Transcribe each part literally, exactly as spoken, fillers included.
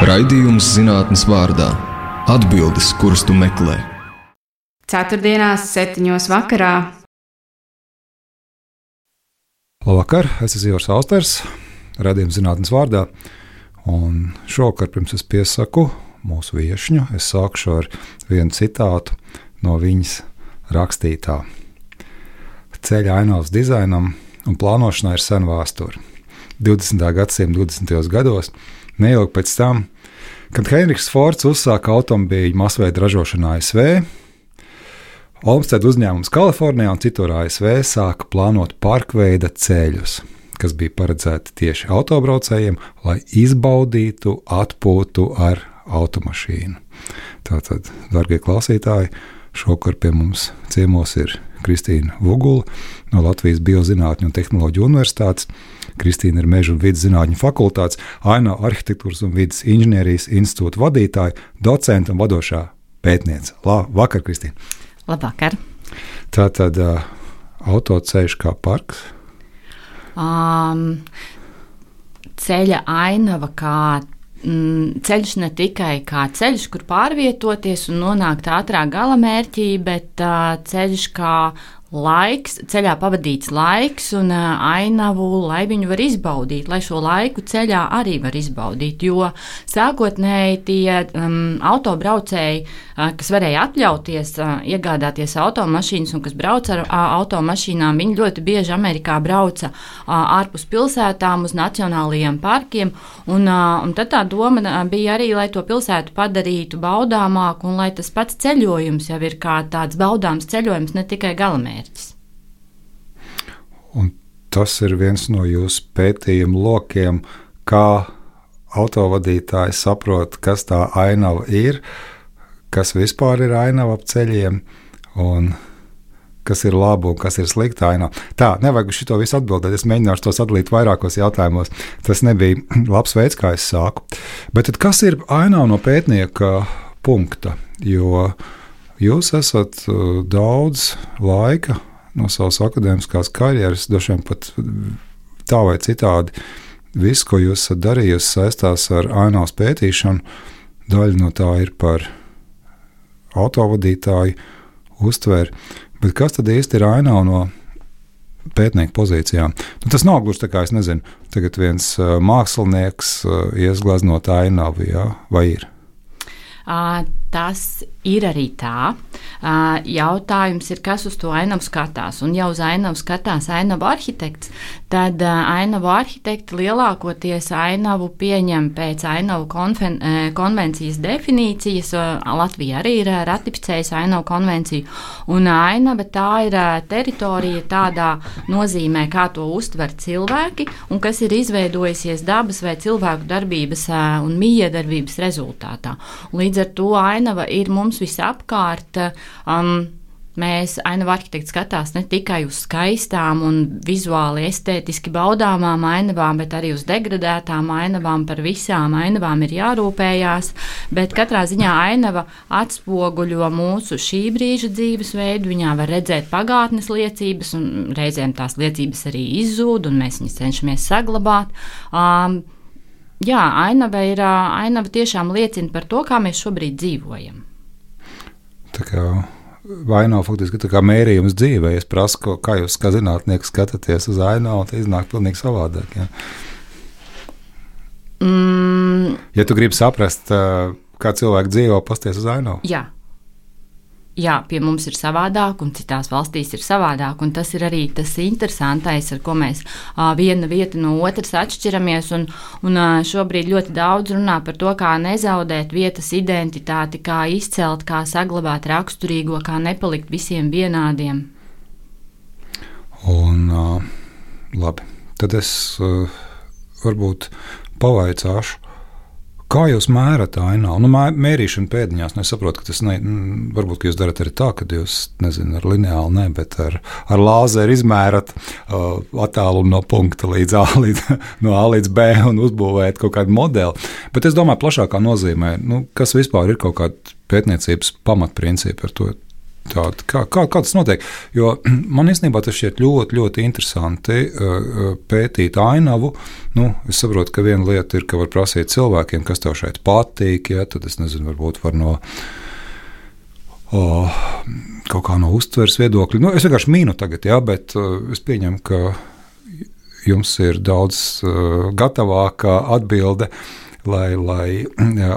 Raidījums zinātnes vārdā – atbildes, kuras tu meklē. Ceturtdienās, septiņos vakarā. Labvakar, es esmu Ivars Austers, raidījums zinātnes vārdā. Un šovakar, pirms es piesaku mūsu viešņu, es sākšu ar vienu citātu no viņas rakstītā. Ceļa ainavas dizainam un plānošanai ir sena vēsture. divdesmitā gadsimta divdesmitajos gados, neilgi pēc tam, kad Henriks Fords uzsāka automobīļu masveida ražošanu A S V, Olmsted uzņēmums Kalifornijā un citur A S V sāka plānot parkveida ceļus, kas bija paredzēti tieši autobraucējiem, lai izbaudītu atpūtu ar automašīnu. Tātad, darbie klausītāji, šovakar pie mums ciemos ir Kristīna Vugula no Latvijas Biozinātņu un tehnoloģiju universitātes. Kristīna ir Meža un vides zinātņu fakultātes, ainavu arhitektūras un vides inženierijas institūta vadītāja, docenta un vadošā pētniece. Labvakar, Kristīna! Labvakar! Tātad uh, autoceļš kā parks? Um, ceļa ainava kā mm, ceļš ne tikai kā ceļš, kur pārvietoties un nonākt ātrā galamērķī, bet uh, ceļš kā laiks, ceļā pavadīts laiks un uh, ainavu, lai viņu var izbaudīt, lai šo laiku ceļā arī var izbaudīt, jo sākotnēji tie um, autobraucēji, uh, kas varēja atļauties uh, iegādāties automašīnas un kas brauca ar uh, automašīnām, viņi ļoti bieži Amerikā brauca uh, ārpus pilsētām uz nacionālajiem parkiem, un, uh, un tad tā doma uh, bija arī, lai to pilsētu padarītu baudāmāku un lai tas pats ceļojums jau ir kā tāds baudāms ceļojums, ne tikai galamērķis. Un tas ir viens no jūsu pētījumu lokiem, kā autovadītājs saprot, kas tā ainava ir, kas vispār ir ainava ap ceļiem un kas ir laba un kas ir slikta ainava. Tā, nevajag uz šito visu atbildēt, es mēģināšu tos atdalīt vairākos jautājumos. Tas nebija labs veids, kā es sāku. Bet tad kas ir ainava no pētnieka punkta? Jo jūs esat daudz laika no savas akadēmiskās karjeras, dažiem pat tā vai citādi, viss, ko jūs esat darījusi, saistās ar ainavas pētīšanu. Daļa no tā ir par autovadītāju uztveri. Bet kas tad īsti ir ainava no pētnieka pozīcijām? Nu, tas nav gluži tā kā, es nezinu, tagad viens uh, mākslinieks uh, iesgleznot ainavu, jā, vai ir? Uh, tas ir arī tā. Uh, jautājums ir, kas uz to ainavu skatās. Un ja uz ainavu skatās ainavu arhitekts, tad uh, ainavu arhitekti lielākoties ainavu pieņem pēc ainavu konven, uh, konvencijas definīcijas. Uh, Latvija arī ir uh, ratificējusi ainavu konvenciju. Un uh, ainava tā ir uh, teritorija tādā nozīmē, kā to uztver cilvēki un kas ir izveidojusies dabas vai cilvēku darbības uh, un mijiedarbības rezultātā. Un līdz ar to ainava ir mums visapkārt. Um, mēs ainavu arhitekti skatās ne tikai uz skaistām un vizuāli estētiski baudāmām ainavām, bet arī uz degradētām ainavām. Par visām ainavām ir jārūpējās, bet katrā ziņā ainava atspoguļo mūsu šī brīža dzīvesveidu. Viņā var redzēt pagātnes liecības, un reizēm tās liecības arī izzūd, un mēs viņas cenšamies saglabāt. Um, Jā, ainava, ir, ainava tiešām liecina par to, kā mēs šobrīd dzīvojam. Tā kā ainava faktiski tā kā mērījums dzīvē. Es prasu, kā jūs kā zinātnieki skatāties uz ainavu, tad iznāk pilnīgi savādāk. Jā. Mm. Ja tu gribi saprast, kā cilvēki dzīvo, pasties uz ainavu. Jā. Jā, pie mums ir savādāk, un citās valstīs ir savādāk, un tas ir arī tas interesantais, ar ko mēs uh, viena vieta no otras atšķiramies, un, un uh, šobrīd ļoti daudz runā par to, kā nezaudēt vietas identitāti, kā izcelt, kā saglabāt raksturīgo, kā nepalikt visiem vienādiem. Un uh, labi, tad es uh, varbūt pavaicāšu, kā jūs mērat ainavu? Nu, mērīšana pēdiņās, nu, es saprotu, ka tas ne, varbūt, ka jūs darat arī tā, ka jūs, nezinu, ar lineālu, ne, bet ar, ar lāzeru izmērat uh, attālumu no punkta līdz A, līdz, no A līdz B un uzbūvēt kaut kādu modeli. Bet es domāju, plašākā nozīmē, nu, kas vispār ir kaut kāda pētniecības pamatprincipi ar to Tāda, kā, kā, kā tas notiek? Jo man īstenībā tas šķiet ļoti, ļoti interesanti pētīt ainavu. Nu, es saprotu, ka viena lieta ir, ka var prasīt cilvēkiem, kas tev šeit patīk, ja, tad es nezinu, varbūt var no o, kaut kā no uztveres viedokļa. Nu, es vienkārši mīnu tagad, ja, bet es pieņemu, ka jums ir daudz uh, gatavāka atbilde, lai, lai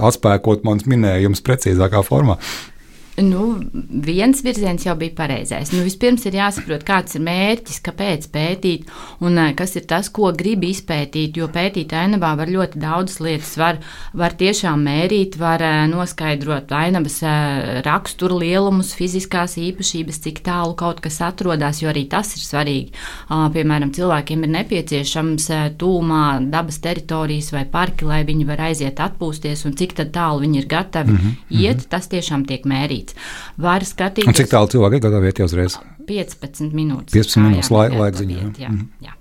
atspēkot mans minējums precīzākā formā. Nu, viens virziens jau bija pareizais. Nu, vispirms ir jāsaprot, kāds ir mērķis, kāpēc pētīt un kas ir tas, ko grib izpētīt, jo pētīt ainavā var ļoti daudzas lietas. Var, var tiešām mērīt, var noskaidrot ainavas raksturu lielumus, fiziskās īpašības, cik tālu kaut kas atrodas, jo arī tas ir svarīgi. Piemēram, cilvēkiem ir nepieciešams tūmā dabas teritorijas vai parki, lai viņi var aiziet atpūsties, un cik tad tālu viņi ir gatavi mm-hmm. iet, tas tiešām tiek mērīts. Var skatīties. Un cik tālu cilvēki ir gatavi iet uzreiz? piecpadsmit minūtes. piecpadsmit minūtes lai, laikziņā. Jā, jā. jā.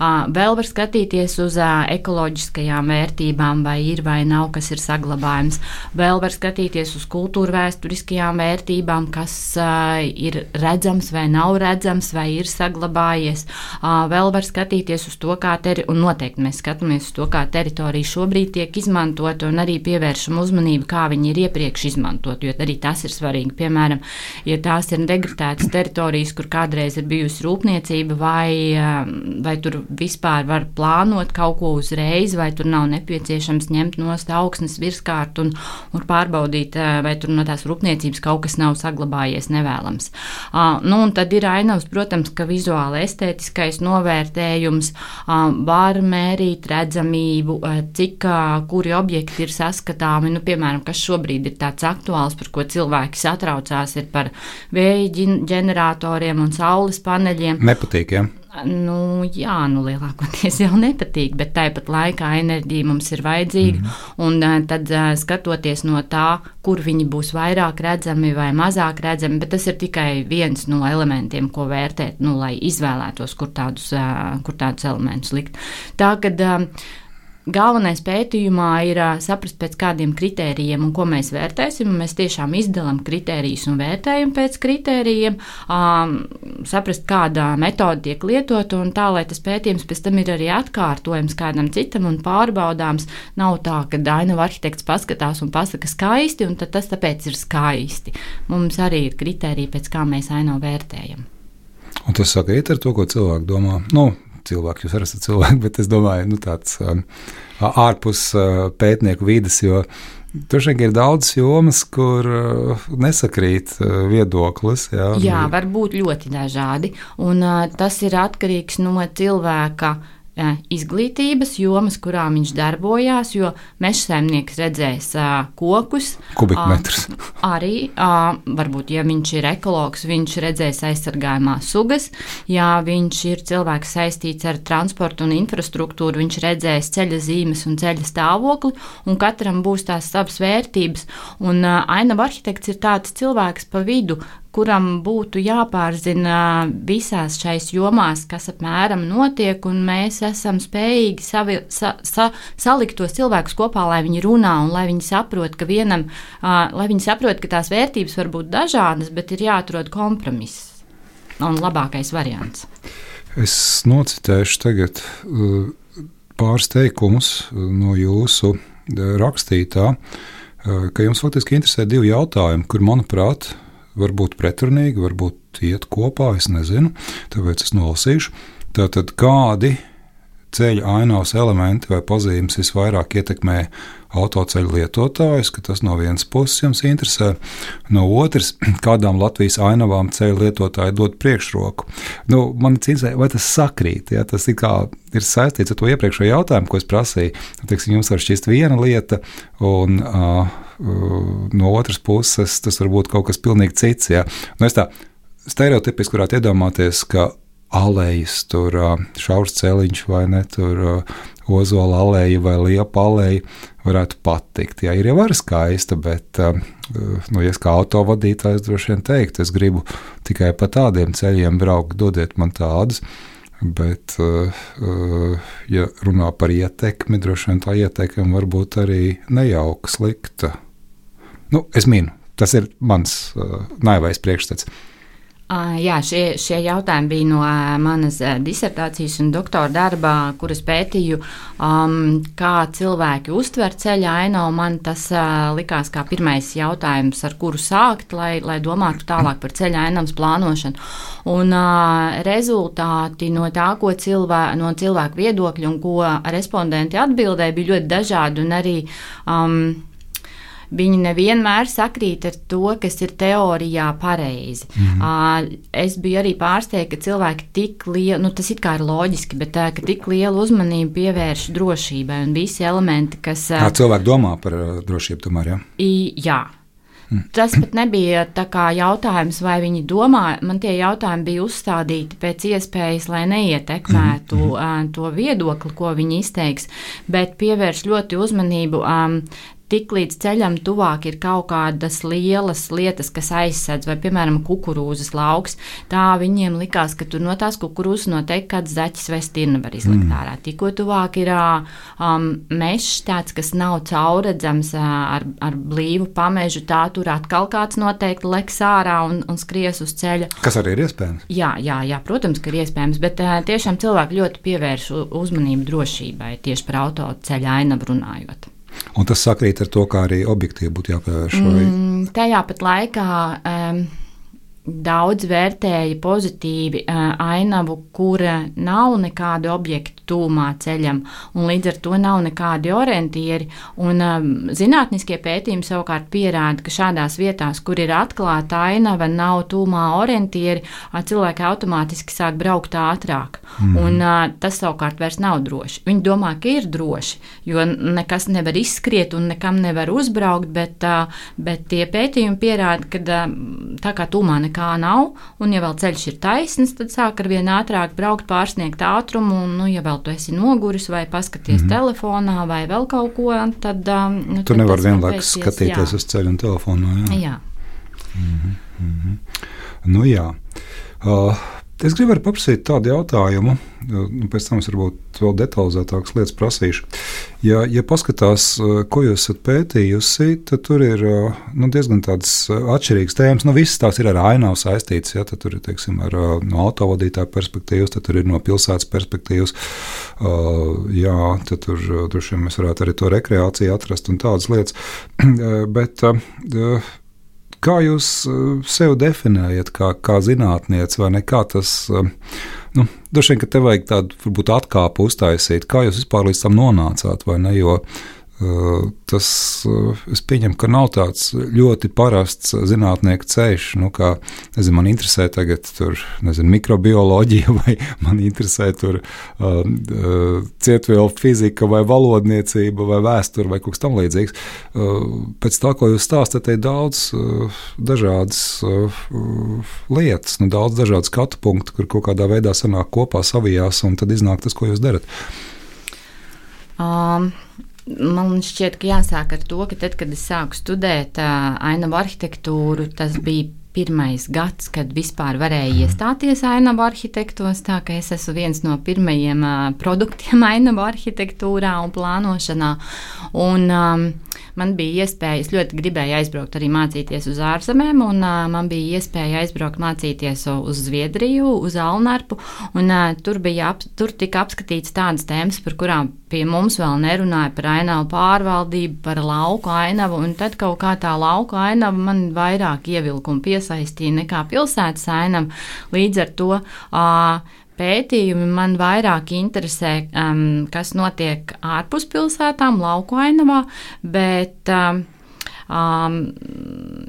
Uh, vēl var skatīties uz uh, ekoloģiskajām vērtībām, vai ir vai nav, kas ir saglabājums. Vēl var skatīties uz kultūra vēsturiskajām vērtībām, kas uh, ir redzams vai nav redzams, vai ir saglabājies. Uh, vēl var skatīties uz to, kā teri- un noteikti mēs skatāmies uz to, kā teritorija šobrīd tiek izmantot, un arī pievēršam uzmanību, kā viņi ir iepriekš izmantot, jo arī tas ir svarīgi. Piemēram, ja tās ir degradētas teritorijas, kur kādreiz ir bijusi rūpniecība, vai, uh, vai tur vispār var plānot kaut ko uzreiz, vai tur nav nepieciešams ņemt nost augsnes virskārt un, un pārbaudīt, vai tur no tās rūpniecības kaut kas nav saglabājies nevēlams. Uh, nu, un tad ir ainavas, protams, ka vizuāli estētiskais novērtējums uh, var mērīt redzamību, uh, cik uh, kuri objekti ir saskatāmi, nu, piemēram, kas šobrīd ir tāds aktuāls, par ko cilvēki satraucās, ir par vēja ģeneratoriem un saules paneļiem. Nepatīk, ja? Nu, jā, nu lielākoties jau nepatīk, bet tāpat laikā enerģija mums ir vajadzīga, mm. un uh, tad uh, skatoties no tā, kur viņi būs vairāk redzami vai mazāk redzami, bet tas ir tikai viens no elementiem, ko vērtēt, nu, lai izvēlētos, kur tādus, uh, kur tādus elementus likt. Tā, kad uh, galvenais pētījumā ir uh, saprast, pēc kādiem kritērijiem un ko mēs vērtēsim. Mēs tiešām izdalām kritērijus un vērtējam pēc kritērijiem, um, saprast, kāda metode tiek lietota, un tā, lai tas pētījums pēc tam ir arī atkārtojams kādam citam un pārbaudāms. Nav tā, ka ainava arhitekts paskatās un pasaka skaisti, un tad tas tāpēc ir skaisti. Mums arī ir kritēriji, pēc kā mēs ainavu vērtējam. Un tas sakrīt ar to, ko cilvēki domā? Nu, cilvēki, jūs arī esat cilvēki, bet es domāju, nu, tāds um, ārpus uh, pētnieku vides, jo tur šeit ir daudz jomas, kur uh, nesakrīt uh, viedoklis. Jā, jā, var būt ļoti dažādi, un uh, tas ir atkarīgs no cilvēka izglītības jomas, kurā viņš darbojās, jo mežsaimnieks redzēs uh, kokus. Kubikmetrus. Uh, arī, uh, varbūt, ja viņš ir ekologs, viņš redzēs aizsargājumās sugas. Ja viņš ir cilvēks saistīts ar transportu un infrastruktūru, viņš redzēs ceļa zīmes un ceļa stāvokli, un katram būs tās savas vērtības. Un uh, ainava arhitekts ir tāds cilvēks pa vidu, kuram būtu jāpārzina visās šais jomās, kas apmēram notiek, un mēs esam spējīgi savi, sa, sa, salikt tos cilvēkus kopā, lai viņi runā un lai viņi saprot, ka vienam, uh, lai viņi saprot, ka tās vērtības var būt dažādas, bet ir jāatrod kompromiss un labākais variants. Es nocitēšu tagad uh, pāris teikumus no jūsu rakstītā, uh, ka jums faktiski interesē divi jautājumi, kur, manuprāt, varbūt pretrunīgi, varbūt iet kopā, es nezinu, tāpēc es nolasīšu. Tātad, kādi ceļa ainavas elementi vai pazīmes visvairāk ietekmē autoceļu lietotājus, ka tas no vienas puses jums interesē, no otras, kādām Latvijas ainavām ceļu lietotāji dod priekšroku. Nu, man interesē, vai tas sakrīt, ja? Tas ir, kā, ir saistīts ar to iepriekšējo jautājumu, ko es prasīju. Teiksim, jums var šķist viena lieta, un uh, no otras puses tas var būt kaut kas pilnīgi cits. Ja? Nu, es tā stereotipiski varētu iedomāties, ka alejas, tur šaurs celiņš vai ne, tur ozola aleja vai liepa aleja varētu patikt. Jā, ir jau arī skaista, bet, nu, ja es kā autovadītājs droši vien teiktu, es gribu tikai pa tādiem ceļiem braukt, dodiet man tādus, bet, ja runā par ietekmi, droši vien tā ietekme var būt arī nejauka, slikta. Nu, es minu. Tas ir mans uh, naivais priekšstats. Uh, jā, šie, šie jautājumi bija no uh, manas uh, disertācijas un doktora darba, kuras pētīju, um, kā cilvēki uztver ceļa ainavu. Man tas uh, likās kā pirmais jautājums, ar kuru sākt, lai, lai domātu tālāk par ceļa ainavas plānošanu. Un uh, rezultāti no tā, ko cilvē, no cilvēku viedokļu un ko respondenti atbildēja, bija ļoti dažādi un arī um, viņi nevienmēr sakrīt ar to, kas ir teorijā pareizi. Mm-hmm. Uh, es biju arī pārsteigta, ka cilvēki tik lielu, nu tas it kā ir loģiski, bet uh, ka tik lielu uzmanību pievērš drošībai un visi elementi, kas... Uh, Kā cilvēki domā par uh, drošību tomēr, jā? I, jā. Mm. Tas pat nebija tā kā jautājums, vai viņi domā, man tie jautājumi bija uzstādīti pēc iespējas, lai neietekmētu mm-hmm. uh, to viedokli, ko viņi izteiks, bet pievērš ļoti uzmanību... Um, Tik līdz ceļam tuvāk ir kaut kādas lielas lietas, kas aizsedz, vai, piemēram, kukurūzas lauks, tā viņiem likās, ka tur no tās kukurūzas noteikti kāds zaķis vai stirna var izlikt mm. ārā. Tikko tuvāk ir um, mežs tāds, kas nav caurredzams uh, ar, ar blīvu pamežu, tā tur atkal kāds noteikti leks ārā un, un skries uz ceļa. Kas arī ir iespējams? Jā, jā, jā, protams, ka ir iespējams, bet uh, tiešām cilvēki ļoti pievērš uzmanību drošībai tieši par autoceļa ainavu runājot. Un tas sakrīt ar to, kā arī objektīvi būtu jāpievērš? Vai? Mm, tajā pat laikā um, daudz vērtēja pozitīvi uh, ainavu, kura nav nekādi objekti tūmā ceļam, un līdz ar to nav nekādi orientieri. Un um, zinātniskie pētījumi savukārt pierāda, ka šādās vietās, kur ir atklāta ainava, nav tūmā orientieri, uh, cilvēki automātiski sāk braukt ātrāk. Mm. Un uh, tas savukārt vairs nav droši. Viņi domā, ka ir droši, jo nekas nevar izskriet un nekam nevar uzbraukt, bet, uh, bet tie pētījumi pierāda, ka uh, tā kā tūmā nekā nav, un ja vēl ceļš ir taisns, tad sāk ar vien ātrāk braukt, pārsniegt ātrumu, un, nu, ja vēl tu esi noguris vai paskaties mm-hmm. telefonā vai vēl kaut ko, tad... Um, nu, tu nevar vienlaikus skatīties jā. Uz ceļu un telefonā, jā? Jā. Mm-hmm. Mm-hmm. Nu jā. Uh, es gribu arī paprasīt tādu jautājumu, nu, pēc tam es varbūt vēl detalizētākas lietas prasīšu. Ja, ja paskatās, ko jūs esat pētījusi, tad tur ir nu, diezgan tādas atšķirīgas tēmas. Nu, visas tās ir ar ainavu saistītas, ja, tad tur ir, teiksim, ar no autovadītāja perspektīvas, tad tur ir no pilsētas perspektīvas, uh, jā, tad tur, tur šiem mēs varētu arī to rekreāciju atrast un tādas lietas. Bet... Uh, Kā jūs sev definējat, kā, kā zinātniece, vai ne? Kā tas, nu, droši vien, ka te vajag tādu, varbūt, atkāpu uztaisīt. Kā jūs vispār līdz tam nonācāt, vai ne? Jo uh, tas, uh, es pieņemu, ka nav tāds ļoti parasts zinātnieka ceļš, nu, kā, nezinu, man interesē tagad tur, nezinu, mikrobioloģija, vai man interesē tur uh, uh, cietvielu fizika, vai valodniecība, vai vēsture, vai kaut kas tam līdzīgs. Uh, pēc tā, ko jūs stāstat, ir daudz uh, dažādas uh, lietas, nu, daudz dažādu skatu punktu, kur kaut kādā veidā sanāk kopā savijās, un tad iznāk tas, ko jūs darat. Um. Man šķiet, ka jāsāk ar to, ka tad, kad es sāku studēt uh, ainavu arhitektūru, tas bija pirmais gads, kad vispār varēja iestāties ainavu arhitektos, tā ka es esmu viens no pirmajiem uh, produktiem ainavu arhitektūrā un plānošanā. Un um, man bija iespēja, es ļoti gribēju aizbraukt arī mācīties uz ārzemēm, un uh, man bija iespēja aizbraukt mācīties uz Zviedriju, uz Alnarpu, un uh, tur, bija ap, tur tika apskatīts tādas tēmas, par kurām pie mums vēl nerunāja, par ainavu pārvaldību, par lauku ainavu, un tad kaut kā tā lauku ainava man vairāk ievilkumu piesaistīja nekā pilsētas ainava. Līdz ar to uh, pētījumi man vairāk interesē, um, kas notiek ārpus pilsētām, lauku ainavā, bet um, um,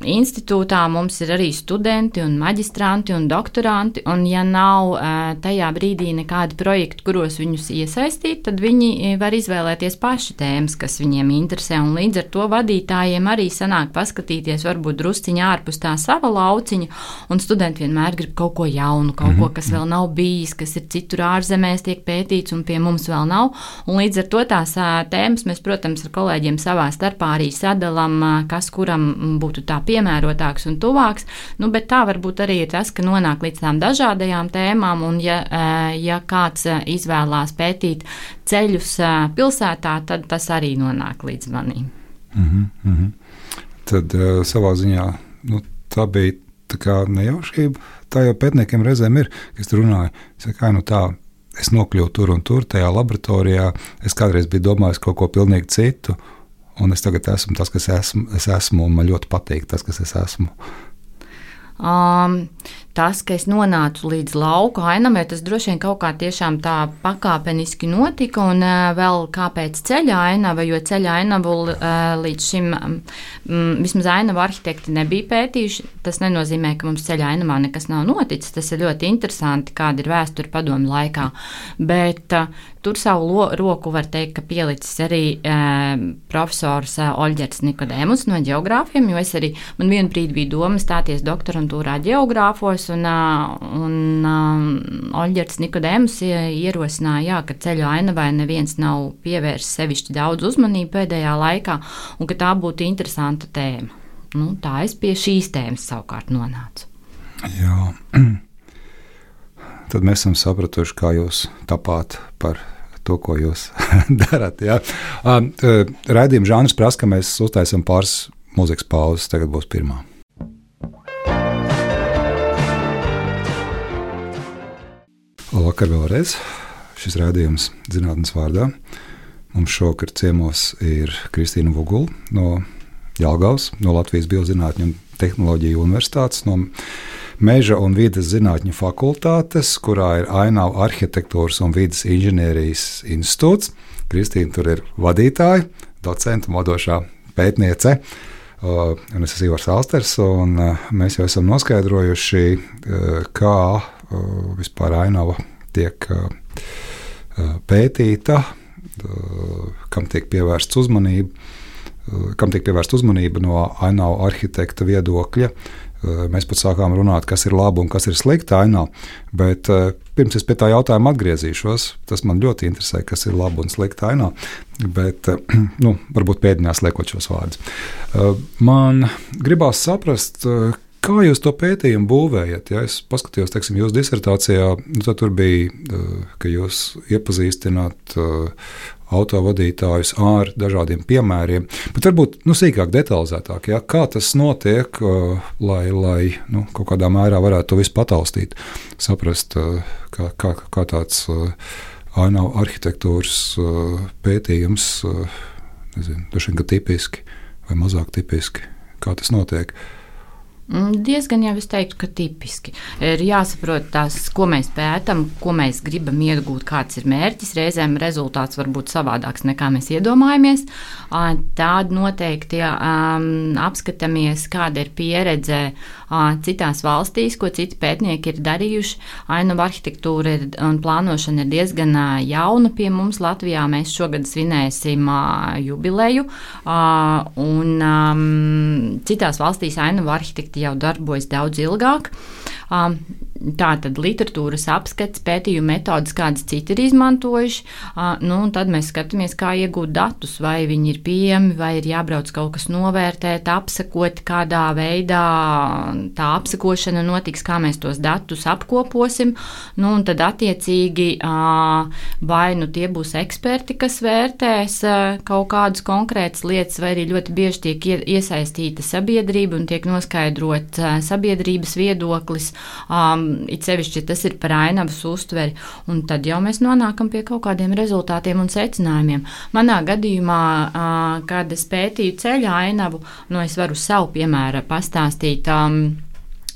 institūtā mums ir arī studenti un maģistranti un doktoranti, un ja nav uh, tajā brīdī nekādi projekti, kuros viņus iesaistīt, tad viņi var izvēlēties paši tēmas, kas viņiem interesē, un līdz ar to vadītājiem arī sanāk paskatīties varbūt drusciņā ārpus tā sava lauciņa, un studenti vienmēr grib kaut ko jaunu, kaut ko, kas vēl nav bijis, kas ir citur ārzemēs tiek pētīts, un pie mums vēl nav, un līdz ar to tās uh, tēmas mēs, protams, ar kolēģiem savā starpā arī sadalam, uh, kas kuram būtu tā piemērotāks un tuvāks, nu, bet tā varbūt arī ir tas, ka nonāk līdz tām dažādajām tēmām, un ja, ja kāds izvēlās pētīt ceļus pilsētā, tad tas arī nonāk līdz manīm. Mm-hmm. tad uh, savā ziņā nu, tā bija tā kā nejaušība. Tā jau pētniekiem reizēm ir, kas tur runāja. Es saku, nu tā, es nokļuvu tur un tur, tajā laboratorijā. Es kādreiz biju domājis kaut ko pilnīgi citu, un es tagad esmu tas, kas esmu, es esmu, un man ļoti patīk tas, kas es esmu. Um, tas, ka es nonācu līdz lauku ainavai, tas droši vien kaut kā tiešām tā pakāpeniski notika, un uh, vēl kāpēc ceļa ainava, jo ceļa ainavu uh, līdz šim um, vismaz ainavu arhitekti nebija pētījuši. Tas nenozīmē, ka mums ceļa ainavā nekas nav noticis. Tas ir ļoti interesanti, kāda ir vēsture padomju laikā. Bet uh, tur savu lo, roku var teikt, ka pielicis arī uh, profesors uh, Oļģerts Nikodēmus no ģeogrāfiem, jo es arī, man vienu brīdi bija doma stāties doktorantūrā ģeogrāfos, un, uh, un uh, Oļģerts Nikodēmus ierosināja, jā, ka ceļu ainavai neviens nav pievērsis sevišķi daudz uzmanību pēdējā laikā, un ka tā būtu interesanta tēma. Nu, tā es pie šīs tēmas savukārt nonācu. Jā. Tad mēs esam sapratuši, kā jūs tapāt par to, ko jūs darat. Ja? Raidījuma žanrs prasa, ka mēs uztaisam pāris mūzikas pauzes. Tagad būs pirmā. Labvakar vēlreiz. Šis raidījums Zinātnes vārdā. Mums šovakar ciemos ir Kristīna Vugula no Jelgavas, no Latvijas Biozinātņu un tehnoloģiju universitātes, no Meža un vides zinātņu fakultātes, kurā ir Ainavu arhitektūras un vides inženierijas institūts. Kristīna tur ir vadītāja, docenta, modošā pētniece. Uh, un es esmu Ivars Alsters, un uh, mēs jau esam noskaidrojuši, uh, kā uh, vispār Ainava tiek uh, pētīta, uh, kam tiek pievērsts uzmanība, uh, kam tiek pievērsta uzmanība no Ainavu arhitekta viedokļa. Mēs pat sākām runāt, kas ir labi un kas ir slikti ainava, bet uh, pirms es pie tā jautājuma atgriezīšos, tas man ļoti interesē, kas ir labi un slikti ainava, bet uh, nu, varbūt pēdiņās liekot šos vārdus. Uh, man gribās saprast, uh, kā jūs to pētījumu būvējat. Ja es paskatījos, teiksim, jūsu disertācijā, nu, tad tur bija, uh, ka jūs iepazīstināt uh, autovadītājus ar dažādiem piemēriem, bet varbūt nu, sīkāk, detalizētāk, ja, kā tas notiek, uh, lai, lai nu, kaut kādā mērā varētu to visu pataustīt, saprast, uh, kā, kā, kā tāds uh, ainavu arhitektūras uh, pētījums, uh, nezinu, droši vien, ka tipiski vai mazāk tipiski, kā tas notiek. Diezgan jau es teiktu, ka tipiski. Ir jāsaprot tās, ko mēs pētam, ko mēs gribam iegūt, kāds ir mērķis. Reizēm rezultāts var būt savādāks nekā mēs iedomājamies. Tād noteikti um, apskatāmies, kāda ir pieredze uh, citās valstīs, ko citi pētnieki ir darījuši. Ainavu arhitektūra ir, un plānošana ir diezgan uh, jauna pie mums Latvijā. Mēs šogad svinēsim uh, jubileju, uh, un um, citās valstīs ainavu arhitekti jau darbojas daudz ilgāk. Tā tad literatūras apskats, pētījuma metodas, kādas citi ir izmantojuši. Nu, un tad mēs skatāmies, kā iegūt datus, vai viņi ir pieejami, vai ir jābrauc kaut kas novērtēt, apsekot, kādā veidā tā apsekošana notiks, kā mēs tos datus apkoposim. Nu, un tad attiecīgi vai nu tie būs eksperti, kas vērtēs kaut kādas konkrētas lietas, vai arī ļoti bieži tiek iesaistīta sabiedrība un tiek noskaidrot sabiedrības viedoklis. Um, it sevišķi, ja tas ir par ainavas uztveri, un tad jau mēs nonākam pie kaut kādiem rezultātiem un secinājumiem. Manā gadījumā, uh, kad es pētīju ceļa ainavu, nu es varu savu piemēru pastāstīt. Um,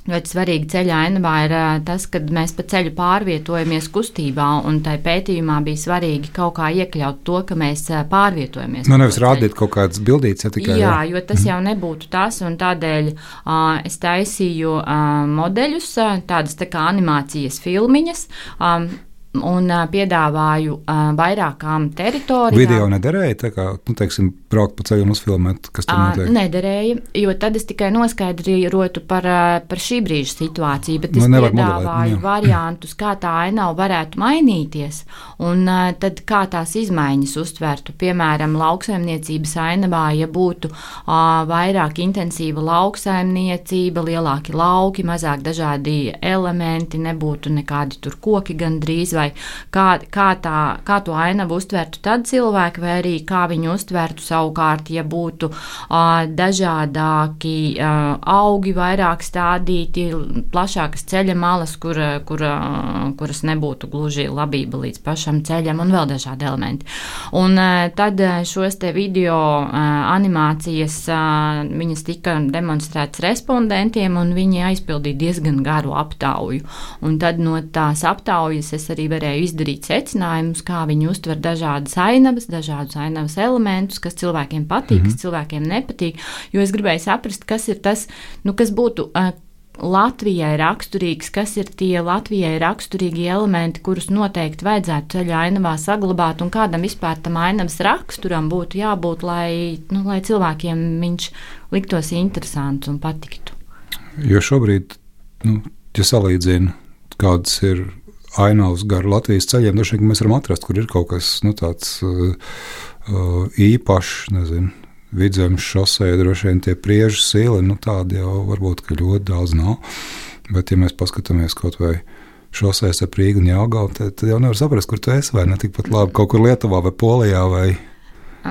Ļoti svarīgi ceļa ainavā ir tas, kad mēs pa ceļu pārvietojamies kustībā, un tai pētījumā bija svarīgi kaut kā iekļaut to, ka mēs pārvietojamies. Nu, nevis rādīt kaut kādas bildītes, ja tikai. Jā, jo tas jau nebūtu tas, un tādēļ uh, es taisīju uh, modeļus, uh, tādas tā kā animācijas filmiņas, um, un uh, piedāvāju uh, vairākām teritorijām. Video nederēja, tā kā, nu, teiksim, braukt pa ceļu un uzfilmēt, kas tur notiek? Nederēja, jo tad es tikai noskaidrotu par, par šī brīža situāciju, bet es nu, piedāvāju modelēt, variantus, kā tā ainava varētu mainīties, un uh, tad kā tās izmaiņas uztvertu. Piemēram, lauksaimniecības ainavā, ja būtu uh, vairāk intensīva lauksaimniecība, lielāki lauki, mazāk dažādi elementi, nebūtu nekādi tur koki gandrīz, vai kā, kā, tā, kā to ainavu uztvertu tad cilvēki, vai arī kā viņi uztvertu savukārt, ja būtu uh, dažādāki uh, augi, vairāk stādīti, plašākas ceļa malas, kur, kur, uh, kuras nebūtu gluži labība līdz pašam ceļam un vēl dažādi elementi. Un uh, tad šos te video uh, animācijas, uh, viņas tika demonstrētas respondentiem, un viņi aizpildīja diezgan garu aptauju. Un tad no tās aptaujas es arī varēju izdarīt secinājumus, kā viņi uztver dažādas ainavas, dažādus ainavas elementus, kas cilvēkiem patīk, mm-hmm. kas cilvēkiem nepatīk, jo es gribēju saprast, kas ir tas, nu, kas būtu uh, Latvijai raksturīgs, kas ir tie Latvijai raksturīgi elementi, kurus noteikti vajadzētu ceļa ainavā saglabāt, un kādam vispār tam ainavas raksturam būtu jābūt, lai, nu, lai cilvēkiem viņš liktos interesants un patiktu. Jo šobrīd, nu, ja salīdzina, kādas ir ainavas gar Latvijas ceļiem, droši vien mēs varam atrast, kur ir kaut kas, nu, tāds uh, uh, īpašs, nezinu, Vidzemes šosei, droši vien tie priežu sīli, nu tādi jau varbūt, ka ļoti daudz nav, bet ja mēs paskatāmies kaut vai šoseis ar Rīgu un Jelgavu, tad, tad jau nevar saprast, kur tu esi, vai ne tikpat labi kaut kur Lietuvā vai Polijā, vai,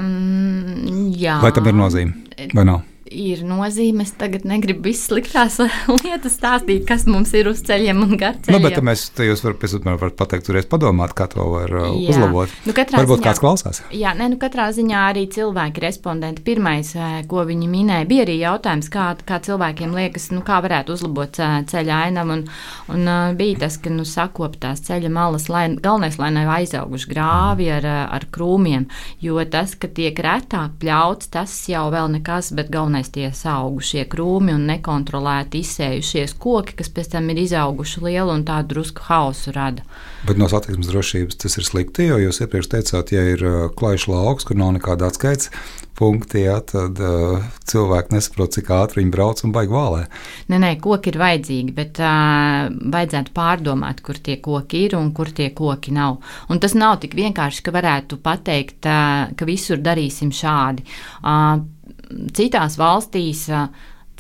um, jā. Vai tam ir nozīme, vai nav? Ir nozīme, es tagad negribu visas sliktās lietas stāstīt, kas mums ir uz ceļiem un gar ceļiem. Nu, bet mēs, te jūs varat, varat pateikt, turēs padomāt, kā to var jā. uzlabot. Nu, Varbūt ziņā, kāds klausās. Jā, ne, nu katrā ziņā arī cilvēki, respondenti, pirmais, ko viņi minēja, bija arī jautājums, kā, kā cilvēkiem liekas, nu, kā varētu uzlabot ceļa ainavu, un, un bija tas, ka, nu, sakop tās ceļa malas, lai, galvenais, lai nav aizauguši grāvi ar, ar krūmiem, jo tas, ka tiek retāk pļauts, tas jau vēl nekas, bet galvenais tie augušie krūmi un nekontrolēti izsējušies koki, kas pēc tam ir izauguši lielu un tādu drusku hausu rada. Bet no satiksmes drošības tas ir slikti, jo jūs iepriekš teicāt, ja ir klajš lauks, kur nav nekāda atskaits punkti, jā, tad uh, cilvēki nesaprot, cik ātri viņi brauc un baigi vālē. Nē, nē, koki ir vajadzīgi, bet uh, vajadzētu pārdomāt, kur tie koki ir un kur tie koki nav. Un tas nav tik vienkārši, ka varētu pateikt, uh, ka visur darīsim šādi. Uh, Citās valstīs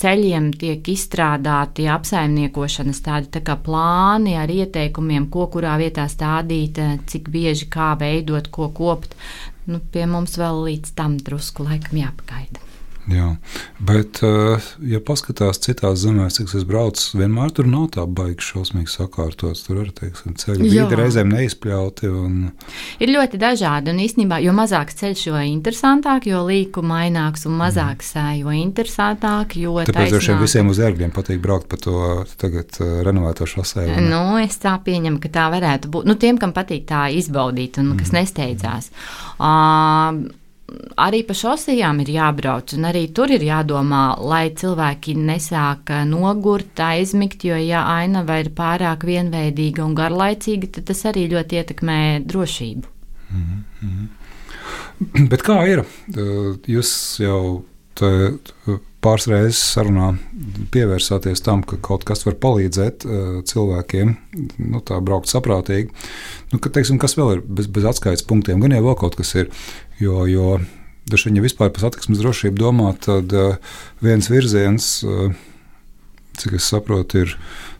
ceļiem tiek izstrādāti apsaimniekošanas tādi tā kā plāni ar ieteikumiem, ko kurā vietā stādīt, cik bieži kā veidot, ko kopt. Nu, pie mums vēl līdz tam drusku laikam jāpagaida. Jā, bet, ja paskatās citās zemēs, cik es braucu, vienmēr tur nav tā baigi šausmīgi sakārtots. Tur arī, teiksim, ceļi vidi reizēm neizpļauti. Un... Ir ļoti dažādi, un īstenībā, jo mazāks ceļš, jo interesantāk, jo līku maināks, un mazāks, mm. jo interesantāk, jo taisnāk. Tāpēc droši vien visiem uz ērgļiem patīk braukt pa to tagad renovēto šosei. Nu, es tā pieņemu, ka tā varētu būt. Nu, tiem, kam patīk tā izbaudīt, un kas mm. nesteidzās. Uh, Arī pa šosejām ir jābrauc, un arī tur ir jādomā, lai cilvēki nesāk nogurt, aizmigt, jo ja ainava ir pārāk vienveidīga un garlaicīga, tad tas arī ļoti ietekmē drošību. Mm-hmm. Bet kā ir? Jūs jau pāris reizes sarunā pievērsāties tam, ka kaut kas var palīdzēt cilvēkiem, nu tā braukt saprātīgi. Nu, ka, teiksim, kas vēl ir bez, bez atskaites punktiem? Gan jau vēl kaut kas ir. Jo, jo daži viņi vispār par satiksmes drošību domā, tad uh, viens virziens, uh, cik es saprotu, ir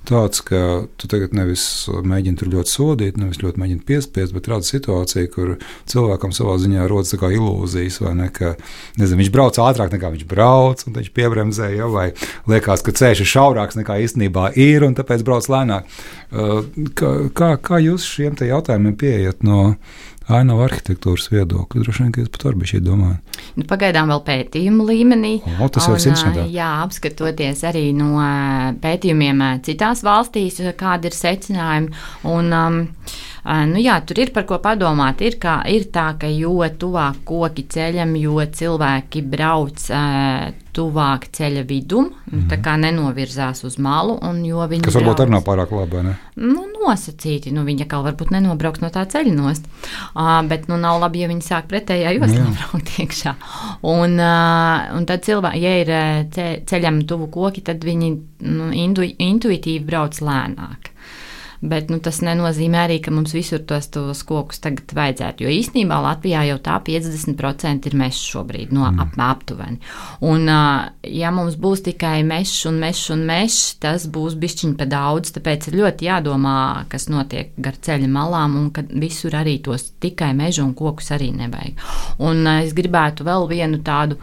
tāds, ka tu tagad nevis mēģini tur ļoti sodīt, nevis ļoti mēģini piespiest, bet rada situācija, kur cilvēkam savā ziņā rodas tā kā ilūzijas, vai ne, ka, nezinu, viņš brauc ātrāk nekā viņš brauc, un viņš piebremzē, ja, vai liekas, ka ceļš ir šaurāks nekā īstenībā ir, un tāpēc brauc lēnāk. Uh, kā, kā, kā jūs šiem te jautājumiem pieejat no ainavu arhitektūras viedokļa? Droši vien, ka jūs pat varbūt šī domājat. Nu, pagaidām vēl pētījumu līmenī. O, tas jau ir interesantāk. Jā, apskatoties arī no pētījumiem citās valstīs, kādi ir secinājumi. Un, um, nu jā, tur ir par ko padomāt. Ir, kā, ir tā, ka jo tuvāk koki ceļam, jo cilvēki brauc uh, tuvāk ceļa vidum, mm-hmm. tā kā nenovirzās uz malu. Un jo viņi kas varbūt brauc, arī nav pārāk labi, ne? Nu, nosacīti. Nu, viņi kā varbūt nenobrauks no tā ceļa nost. Uh, bet nu nav labi, ja viņi sāk pretējā joslā braukt iekšā. Un, uh, un tad cilvēki, ja ir ceļam tuvu koki, tad viņi nu, intu, intuitīvi brauc lēnāk. bet nu, tas nenozīmē arī, ka mums visur tos, tos kokus tagad vajadzētu, jo īstenībā Latvijā jau tā piecdesmit procenti ir mežs šobrīd, no mm. ap, aptuveni. Un, ja mums būs tikai mežs un mežs un mežs, tas būs bišķiņ pa daudz, tāpēc ir ļoti jādomā, kas notiek gar ceļa malām, un ka visur arī tos tikai mežu un kokus arī nevajag. Un es gribētu vēl vienu tādu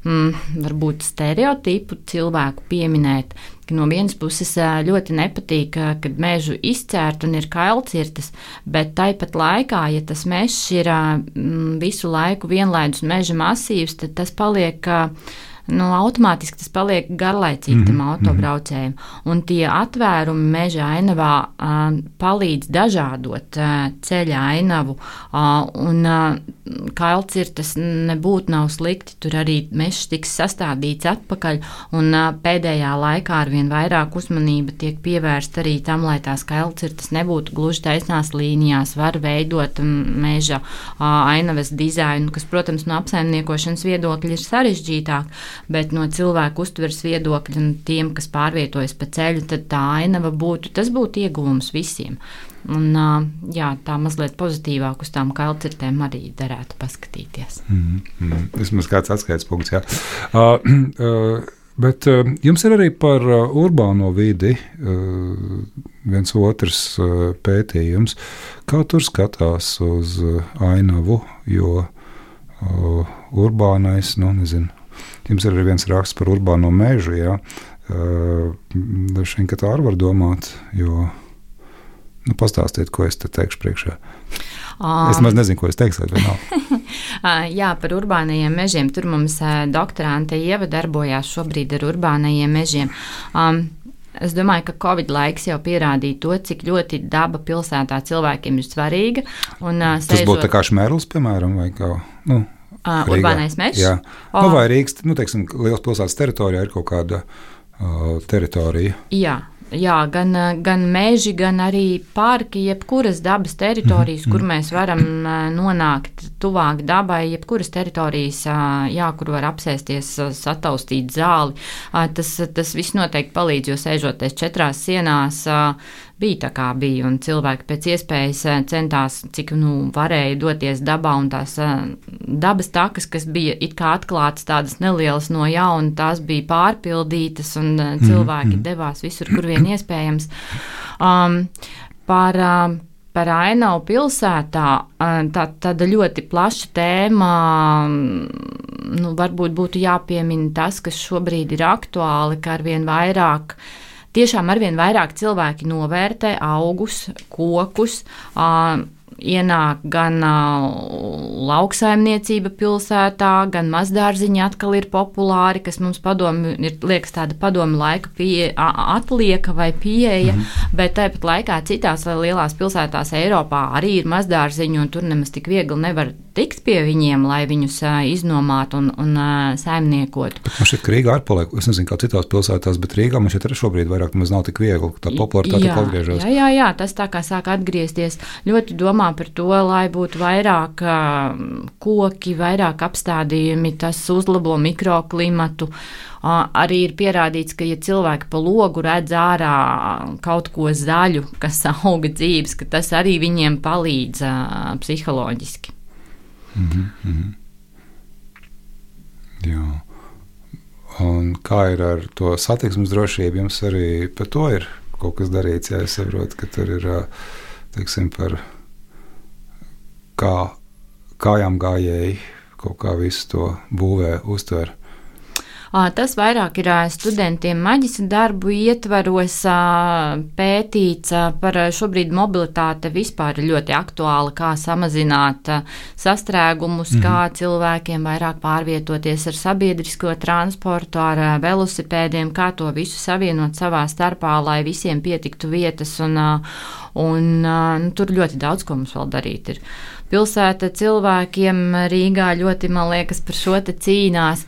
Mm, varbūt stereotipu cilvēku pieminēt, ka no vienas puses ļoti nepatīk, kad mežu izcērt un ir kailcirtas, bet tāpat laikā, ja tas mežs ir mm, visu laiku vienlaidus meža masīvs, tad tas paliek, nu, automātiski tas paliek garlaicīgi tam mm-hmm. autobraucējiem. Un tie atvērumi meža ainavā uh, palīdz dažādot uh, ceļa ainavu, uh, un uh, kailcirtas nebūtu nav slikti, tur arī mežs tiks sastādīts atpakaļ, un uh, pēdējā laikā arvien vairāk uzmanība tiek pievērsta arī tam, lai tās kailcirtas nebūtu gluži taisnās līnijās, var veidot meža uh, ainavas dizainu, kas, protams, no apsaimniekošanas viedokļa ir sarežģītāk, bet no cilvēku uztveres viedokļa un tiem, kas pārvietojas pa ceļu, tad tā ainava būtu, tas būtu ieguvums visiem. Un, jā, tā mazliet pozitīvāk uz tām kailcirtēm arī derētu paskatīties. Mm, mm, vismaz kāds atskaits punkts, jā. Uh, uh, bet uh, jums ir arī par uh, urbāno vidi uh, viens otrs uh, pētījums. Kā tur skatās uz uh, ainavu, jo uh, urbānais, nu, nezinu, jums ir arī viens raksts par urbāno mežu, jā. Dažs vien, ka tā arī var domāt, jo, nu, pastāstiet, ko es te teikšu priekšā. Um, es maz nezinu, ko es teikšu, vai nav. Jā, par urbānajiem mežiem. Tur mums doktorante Ieva darbojās šobrīd ar urbānajiem mežiem. Um, Es domāju, ka Covid laiks jau pierādīja to, cik ļoti daba pilsētā cilvēkiem ir svarīga. Un, Tas sēžot... būtu tā kā Šmērlis, piemēram, vai kā... Nu. Uh, urbānais mežs? Jā, oh. nu, vai Rīgas, nu, teiksim, liels pilsētas teritorijā ir kaut kāda uh, teritorija. Jā, jā gan, gan meži, gan arī parki, jebkuras dabas teritorijas, mm-hmm. kur mēs varam nonākt tuvāk dabai, jebkuras teritorijas, jā, kur var apsēsties, sataustīt zāli. Tas, tas viss noteikti palīdz, jo sēžoties četrās sienās, bija tā kā bija, un cilvēki pēc iespējas centās, cik nu varēja doties dabā, un tās dabas takas, kas bija it kā atklātas tādas nelielas no jauna, tās bija pārpildītas, un cilvēki mm-hmm. devās visur, kur vien iespējams. Um, par, um, par ainavu pilsētā, tā, tāda ļoti plaša tēma, nu, varbūt būtu jāpiemina tas, kas šobrīd ir aktuāli, ka arvien vairāk Tiešām arvien vairāk cilvēki novērtē augus, kokus, uh, ienāk gan uh, lauksaimniecība pilsētā, gan mazdārziņi atkal ir populāri, kas mums padomi, ir, liekas tāda padomi laika pie, atlieka vai pieeja, mm. bet tāpat laikā citās lielās pilsētās Eiropā arī ir mazdārziņi, un tur nemaz tik viegli nevar tikt pie viņiem, lai viņus uh, iznomātu un, un uh, saimniekotu. Bet man šķiet, ka Rīgā ir paliek, es nezinu, kā citās pilsētās, bet Rīgā man šķiet arī šobrīd vairāk nemaz nav tik viegli, tā popularitāte atgriežas. Jā, jā, jā, tas tā kā sāk atgriezties. Ļoti domā par to, lai būtu vairāk uh, koki, vairāk apstādījumi, tas uzlabo mikroklimatu. Uh, arī ir pierādīts, ka, ja cilvēki pa logu redz ārā kaut ko zaļu, kas auga dzīves, ka tas arī viņiem palīdz uh, psiholoģiski. Mm-hmm, mm-hmm. Jā. Un kā ir ar to satiksmes drošību? Jums arī par to ir kaut kas darīts, jā, es saprotu, ka tur ir, teiksim, par kā kājām gājēji kaut kā visu to būvē uztver. Tas vairāk ir studentiem maģistra darbu ietvaros pētīts par šobrīd mobilitāte vispār ļoti aktuāla, kā samazināt sastrēgumus, mm-hmm. kā cilvēkiem vairāk pārvietoties ar sabiedrisko transportu, ar velosipēdiem, kā to visu savienot savā starpā, lai visiem pietiktu vietas, un, un nu, tur ļoti daudz, ko mums vēl darīt ir. pilsēta cilvēkiem Rīgā ļoti, man liekas, par šo te cīnās.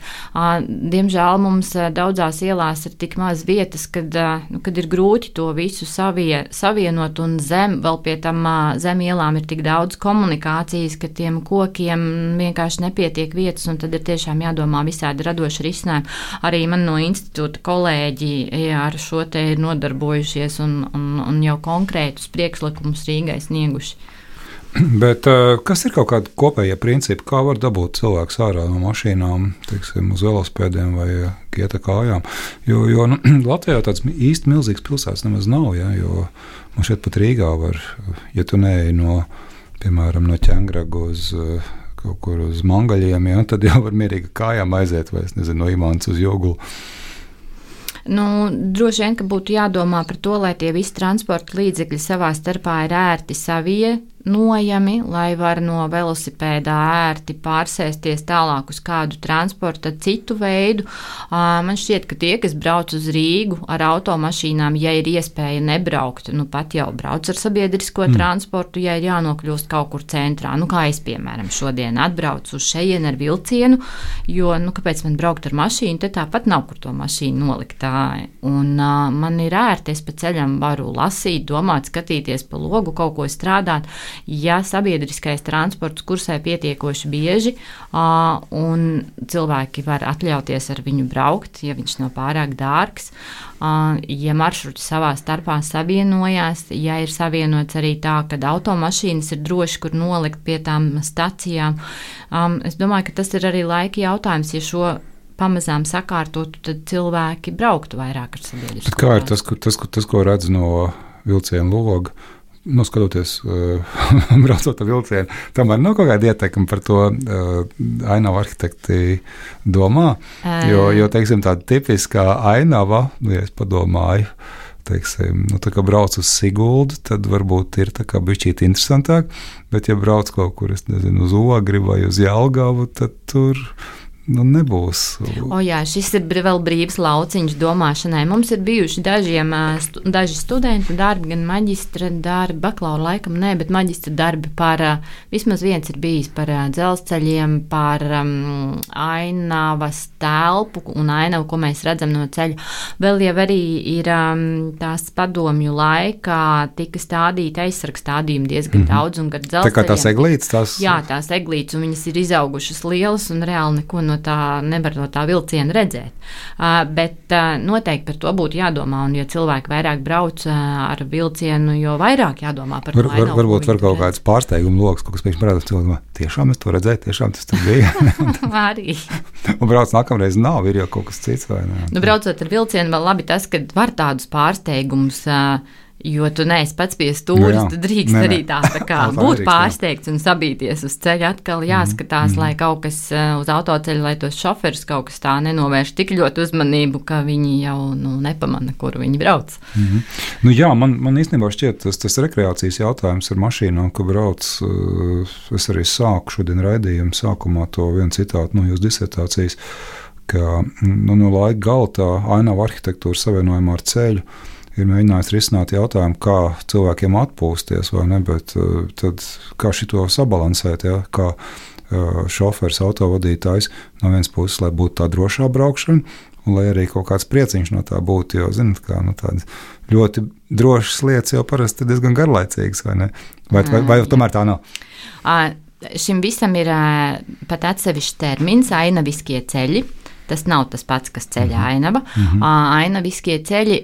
Diemžēl mums daudzās ielās ir tik maz vietas, kad, nu, kad ir grūti to visu savie, savienot, un zem, vēl pie tam zem ielām ir tik daudz komunikācijas, ka tiem kokiem vienkārši nepietiek vietas, un tad ir tiešām jādomā visādi radoši risinājumi. Arī man no institūta kolēģi jā, ar šo te ir nodarbojušies un, un, un jau konkrētus priekšlikumus Rīgai snieguši. Bet kas ir kaut kādi kopējie principi, kā var dabūt cilvēks ārā no mašīnām, teiksim, uz velospēdiem vai ieta kājām? Jo, jo nu, Latvijā tāds īsti milzīgs pilsētas nemaz nav, ja, jo man šeit pat Rīgā var, ja tu neej no, piemēram, no Ķengraga uz kaut kur uz Mangaļiem, ja, tad jau var mierīgi kājām aiziet, vai es nezinu, no Imants uz Jogulu. Nu, droši vien, ka būtu jādomā par to, lai tie visi transporta līdzekļi savā starpā ir ērti savienojami, lai var no velosipēdā ērti pārsēsties tālāk uz kādu transporta citu veidu. Man šķiet, ka tie, kas brauc uz Rīgu ar automašīnām, ja ir iespēja nebraukt, nu pat jau brauc ar sabiedrisko mm. transportu, ja ir jānokļūst kaut kur centrā. Nu, kā es, piemēram, šodien atbraucu uz šejienu ar vilcienu, jo, nu, kāpēc man braukt ar mašīnu, te tāpat nav kur to mašīnu nolikt. Un uh, man ir ērti, es pa ceļam varu lasīt, domāt, skatīties pa logu, kaut ko strādāt, ja sabiedriskais transports kursē pietiekoši bieži uh, un cilvēki var atļauties ar viņu braukt, ja viņš nav pārāk dārgs, uh, ja maršruti savā starpā savienojās, ja ir savienots arī tā, kad automašīnas ir droši, kur nolikt pie tām stacijām. Um, es domāju, ka tas ir arī laika jautājums, ja šo pamazām sakārtotu, tad cilvēki brauktu vairāk ar sabiedrisko. Kā ir tas, tas, tas, ko redz no vilciena loga, nu, skatoties, uh, braucot ar vilcienu, tomēr nav kaut kāda ietekme par to uh, ainavu arhitekti domā, jo, jo, teiksim, tāda tipiskā ainava, ja es padomāju, teiksim, nu, tā kā brauc uz Siguldu, tad varbūt ir tā kā bišķīt interesantāk, bet ja brauc kaut kur, es nezinu, uz Ogri vai uz Jelgavu, tad tur nu, nebūs. O jā, šis ir vēl brīvs lauciņš domāšanai. Mums ir bijuši dažiem, stu, daži studentu darbi, gan maģistra darbi, bakalaura laikam nē, bet maģistra darbi par, vismaz viens ir bijis par dzelzceļiem, par um, ainavas telpu un ainavu, ko mēs redzam no ceļa. Vēl jau arī ir um, tās padomju laikā tika stādīti aizsargs stādījumi diezgan mm-hmm. daudz un gar dzelzceļiem. Tā kā tās eglītes? Tās... Jā, tās eglītes, un viņas ir izaugušas lielas un reāli neko no tā nevar no tā vilciena redzēt. Uh, bet uh, noteikti par to būtu jādomā, un ja cilvēki vairāk brauc uh, ar vilcienu, jo vairāk jādomā par var, to ainavu. Var, varbūt var kaut kāds pārsteiguma loks, kaut kas pēkšņi parādās cilvēkam, tiešām es to redzēju, tiešām tas tur bija. Arī. Un brauc nākamreiz nav, ir jau kaut kas cits vai ne? Nu, braucot ar vilcienu, vēl labi tas, ka var tādus pārsteigumus uh, jo tu neesi pats pie stūris, nu, tu drīkst nē, arī tā, tā kā būt pārsteigts un sabīties uz ceļa. Atkal jāskatās, mm-hmm. lai kaut kas uz autoceļa, lai tos šoferus kaut kas tā nenovērš tik ļoti uzmanību, ka viņi jau nu, nepamana, kur viņi brauc. Mm-hmm. Nu, jā, man, man īstenībā šķiet tas, tas rekreācijas jautājums ar mašīnām, ka brauc, es arī sāku šodien raidījumu sākumā to vienu citātu no jūsu disertācijas, ka nu, no laika gala tā ainava arhitektūra savienojumā ar ceļu ir mēģinājis risināt jautājumu, kā cilvēkiem atpūsties, vai ne, bet tad kā šito sabalansēt, ja, kā šoferis, autovadītājs no vienas puses, lai būtu tā drošā braukšana, un lai arī kaut kāds prieciņš no tā būtu, jo, zinat, kā nu, tādas ļoti drošas lietas jau parasti ir diezgan garlaicīgas, vai ne? Vai, vai, vai tomēr tā nav? À, šim visam ir pat atsevišķs termins, ainaviskie ceļi. Tas nav tas pats, kas ceļa ainava. Mm-hmm. Ainaviskie ceļi,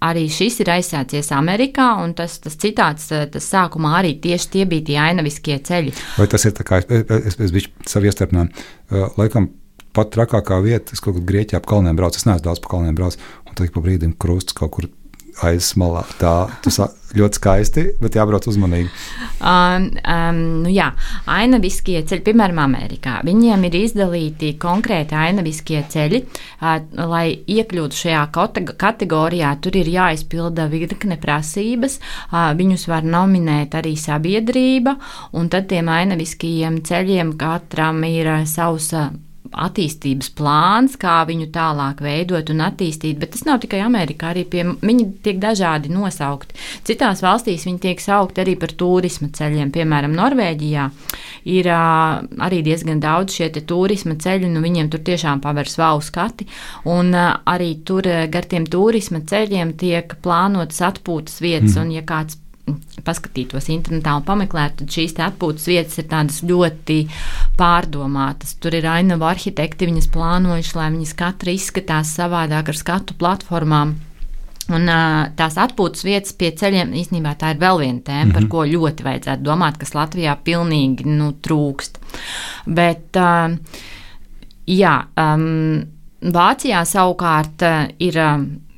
arī šis ir aizsācies Amerikā, un tas, tas citāts, tas sākumā arī tieši tie bija tie ainaviskie ceļi. Vai tas ir tā kā, es, es, es biju savu iestarpinājumu, laikam pat trakākā vieta, es kaut kur Grieķijā pa kalniem braucu, es neesmu daudz pa kalniem braucu, un tad pa brīdim krusts kaut kur aizsmalā. Tā, tas ļoti skaisti, bet jābrauc uzmanīgi. Um, um, nu jā, ainaviskie ceļi, piemēram, Amerikā. Viņiem ir izdalīti konkrēti ainaviskie ceļi, uh, lai iekļūtu šajā kategorijā, tur ir jāizpilda virkne prasības, uh, viņus var nominēt arī sabiedrība, un tad tiem ainaviskajiem ceļiem katram ir uh, savs uh, attīstības plāns, kā viņu tālāk veidot un attīstīt, bet tas nav tikai Amerikā, arī pie, viņi tiek dažādi nosaukti. Citās valstīs viņi tiek saukti arī par turisma ceļiem, piemēram, Norvēģijā ir uh, arī diezgan daudz šie te turisma ceļi, nu viņiem tur tiešām pavērs vau skati, un uh, arī tur uh, gar tiem turisma ceļiem tiek plānotas atpūtas vietas, mm. un ja kāds paskatītos internetā un pameklētu, tad šīs atpūtas vietas ir tādas ļoti pārdomātas. Tur ir ainavu arhitekti, viņas plānojuši, lai viņas katra izskatās savādāk ar skatu platformām. Un tās atpūtas vietas pie ceļiem, īstenībā tā ir vēl viena tēma, mm-hmm. par ko ļoti vajadzētu domāt, kas Latvijā pilnīgi nu, trūkst. Bet, jā, Vācijā savukārt ir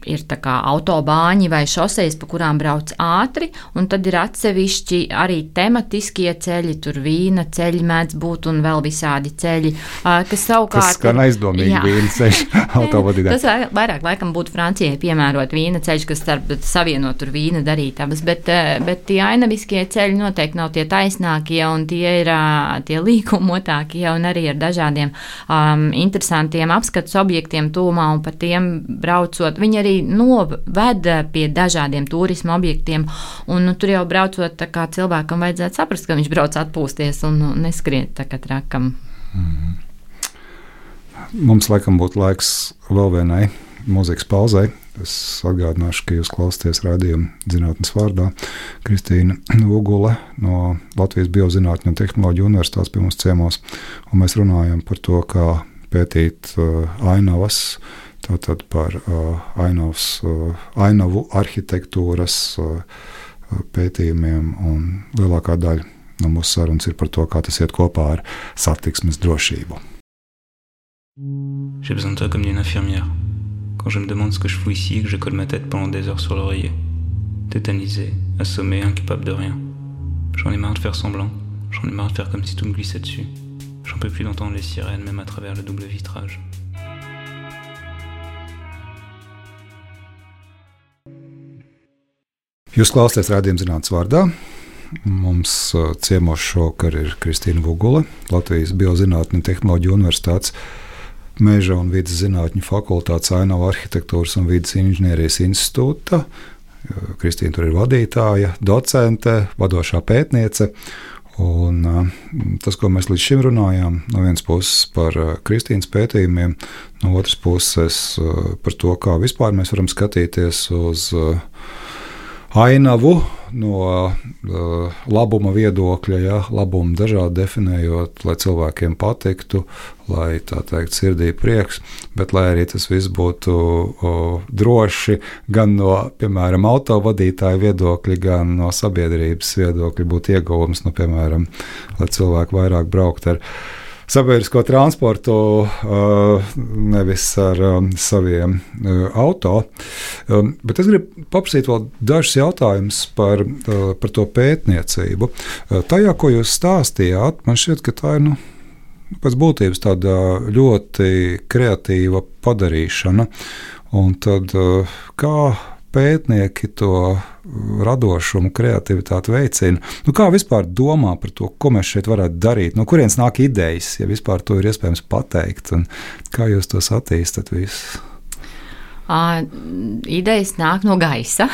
ir tā kā autobāņi vai šosejas, pa kurām brauc ātri, un tad ir atsevišķi arī tematiskie ceļi, tur vīna ceļi mēdz būt un vēl visādi ceļi, kas savukārt... Tas skan aizdomīgi vīna ceļi autovadītājiem. Tas vairāk laikam būtu Francijai piemērot vīna ceļš, kas starp savienot tur vīna darītavas, bet, bet tie ainaviskie ceļi noteikti nav tie taisnākie, un tie ir tie līkumotākie, un arī ar dažādiem um, interesantiem apskatus objektiem tūmā, un par tiem braucot, viņi arī noved pie dažādiem turisma objektiem, un nu, tur jau braucot, tā kā cilvēkam vajadzētu saprast, ka viņš brauc atpūsties un nu, neskriet tā kā trakam. Mm. Mums laikam būtu laiks vēl vienai mūzikas pauzei. Es atgādināšu, ka jūs klausāties raidījumu Zinātnes vārdā. Kristīna Ugule no Latvijas Biozinātņu un tehnoloģiju universitātes pie mums ciemos, un mēs runājam par to, kā pētīt uh, ainavas, tātad par uh, ainavas, uh, ainavu arhitektūras uh, pētījumiem, un lielākā daļa no mūsu sarunas ir par to, kā tas iet kopā ar satiksmes drošību. J'ai besoin de toi comme d'une infirmière. Quand je me demande ce que je fous ici, que je colle ma tête pendant des heures sur l'oreiller. Tétanisé, assommé, incapable de rien. J'en ai marre de faire semblant. J'en ai marre de faire comme si tout me glissait dessus. J'en peux plus d'entendre les sirènes, même à travers le double vitrage. Jūs klausāties raidījuma Zinātnes vārdā. Mums ciemos šovakar ir Kristīna Ugule, Latvijas Biozinātņu un tehnoloģiju universitātes Meža un vides zinātņu fakultātes ainavu arhitektūras un vides inženierijas institūta. Kristīna tur ir vadītāja, docente, vadošā pētniece. Un tas, ko mēs līdz šim runājām, no vienas puses par Kristīnas pētījumiem, no otras puses par to, kā vispār mēs varam skatīties uz ainavu no uh, labuma viedokļa, ja, labumu dažādi definējot, lai cilvēkiem patiktu, lai tā teikt sirdī prieks, bet lai arī tas viss būtu uh, droši gan no, piemēram, autovadītāja viedokļa, gan no sabiedrības viedokļa būtu ieguvums, nu, piemēram, lai cilvēki vairāk braukt ar sabiedrisko transportu, nevis ar saviem auto. Bet es gribu paprasīt vēl dažus jautājumus par, par to pētniecību. Tajā, ko jūs stāstījāt, man šķiet, ka tā ir nu, pēc būtības tāda ļoti kreatīva padarīšana. Un tad kā pētnieki to radošumu, kreativitāti veicina. Nu, kā vispār domā par to, ko mēs šeit varētu darīt? No kurienes nāk idejas, ja vispār to ir iespējams pateikt? Un kā jūs tos attīstat visus? Uh, idejas nāk no gaisa.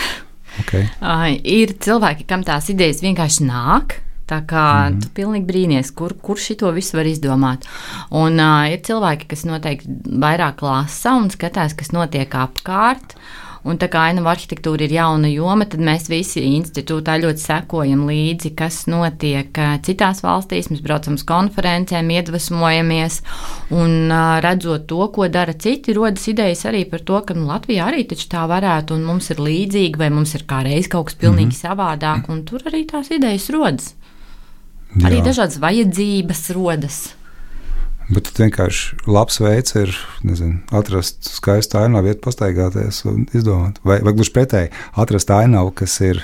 Okay. Uh, ir cilvēki, kam tās idejas vienkārši nāk. Tā kā mm. tu pilnīgi brīnies, kur, kur šito visu var izdomāt. Un uh, ir cilvēki, kas noteikti vairāk lasa un skatās, kas notiek apkārt. Un tā kā ainavu arhitektūra ir jauna joma, tad mēs visi institūtā ļoti sekojam līdzi, kas notiek citās valstīs. Mēs braucam uz konferencēm, iedvesmojamies un redzot to, ko dara citi, rodas idejas arī par to, ka nu, Latvijā arī taču tā varētu un mums ir līdzīgi vai mums ir kā reiz kaut kas pilnīgi mm-hmm. savādāk, un tur arī tās idejas rodas. Jā. Arī dažādas vajadzības rodas. Bet vienkārši labs veids ir nezinu, atrast skaistu ainavu, iet pastaigāties un izdomāt. Vai, vai gluži pretēji, atrast ainavu, kas ir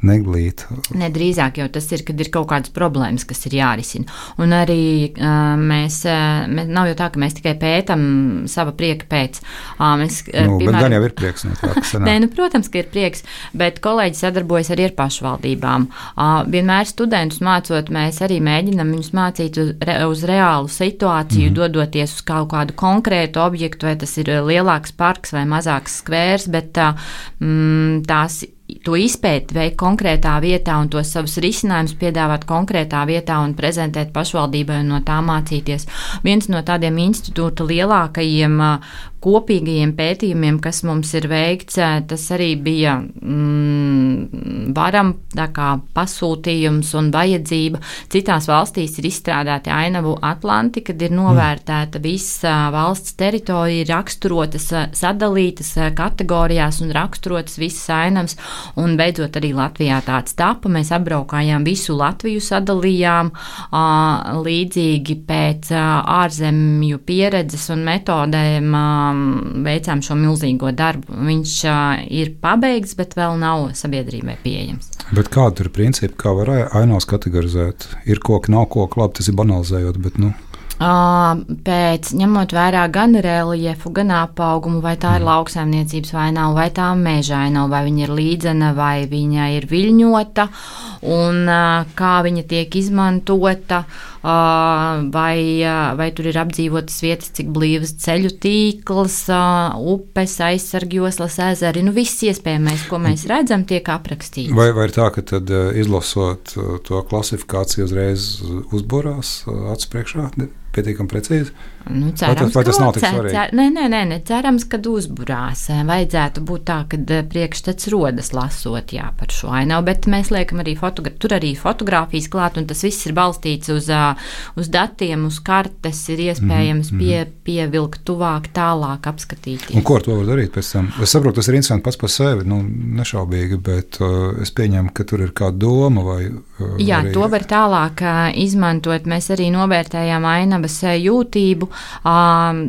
neglīt. Nedrīzāk jau tas ir, kad ir kaut kādas problēmas, kas ir jārisina. Un arī uh, mēs, uh, mēs, nav jau tā, ka mēs tikai pētam sava prieka pēc. Uh, mēs, uh, nu, piemēram, bet gan jau ir prieks. No tā, Nē, nu, protams, ka ir prieks, bet kolēģi sadarbojas arī ar pašvaldībām. Uh, vienmēr studentus mācot, mēs arī mēģinam viņus mācīt uz, re, uz reālu situāciju, mm. dodoties uz kaut kādu konkrētu objektu, vai tas ir lielāks parks vai mazāks skvērs, bet uh, mm, tās to izpēt veikt konkrētā vietā un tos savus risinājumus piedāvāt konkrētā vietā un prezentēt pašvaldībai un no tā mācīties. Viens no tādiem institūta lielākajiem kopīgajiem pētījumiem, kas mums ir veikts, tas arī bija mm, varam tā kā pasūtījums un vajadzība. Citās valstīs ir izstrādāti ainavu atlanti, kad ir novērtēta visa valsts teritorija, raksturotas, sadalītas kategorijās un raksturotas visas ainavas. Un beidzot arī Latvijā tāds tapa. Mēs apbraukājām visu Latviju, sadalījām līdzīgi pēc ārzemju pieredzes un metodēm veicām šo milzīgo darbu. Viņš ir pabeigts, bet vēl nav sabiedrībai pieejams. Bet kāda ir principi, kā var ainavas kategorizēt? Ir koki, nav koki, labi, tas ir banalizējot, bet nu... Pēc ņemot vērā gan reliefu, gan apaugumu, vai tā ir lauksaimniecības vainava, vai tā meža ainava, vai viņa ir līdzena, vai viņa ir viļņota, un kā viņa tiek izmantota, vai, vai tur ir apdzīvotas vietas, cik blīvas ceļu tīkls, upes, aizsargjoslas, ezeri, nu viss iespējamais, ko mēs redzam, tiek aprakstīts. Vai, vai ir tā, ka tad izlasot to klasifikāciju uzreiz uzborās acu priekšā? Pietiekami precīzi? Nu, cerams, vai tas, vai tas nav tik cer, svarīgi? Cer, nē, nē, nē, nē, cerams, kad uzburās. Vajadzētu būt tā, kad priekšstats rodas lasot, jā, par šo ainavu, bet mēs liekam arī, fotogra- tur arī fotogrāfijas klāt, un tas viss ir balstīts uz, uz datiem, uz kartes, ir iespējams mm-hmm. pie, pievilkt tuvāk, tālāk apskatīties. Un ko ar to var darīt pēc tam? Es saprotu, tas ir interesanti pats par sevi, nu, nešaubīgi, bet uh, es pieņemu, ka tur ir kāda doma vai... Uh, jā, arī... to var tālāk uh, izmantot. Mēs arī novērtējām ainavas jūtību.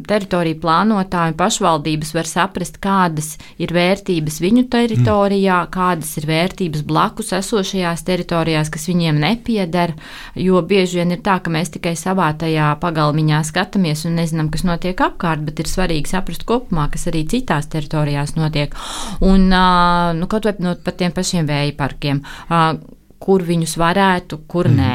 Teritoriju plānotāji un pašvaldības var saprast, kādas ir vērtības viņu teritorijā, mm. kādas ir vērtības blakus esošajās teritorijās, kas viņiem nepieder, jo bieži vien ir tā, ka mēs tikai savā tajā pagalmiņā skatāmies un nezinām, kas notiek apkārt, bet ir svarīgi saprast kopumā, kas arī citās teritorijās notiek. Un, nu, kaut vai no, par tiem pašiem vēja parkiem, kur viņus varētu, kur mm. nē,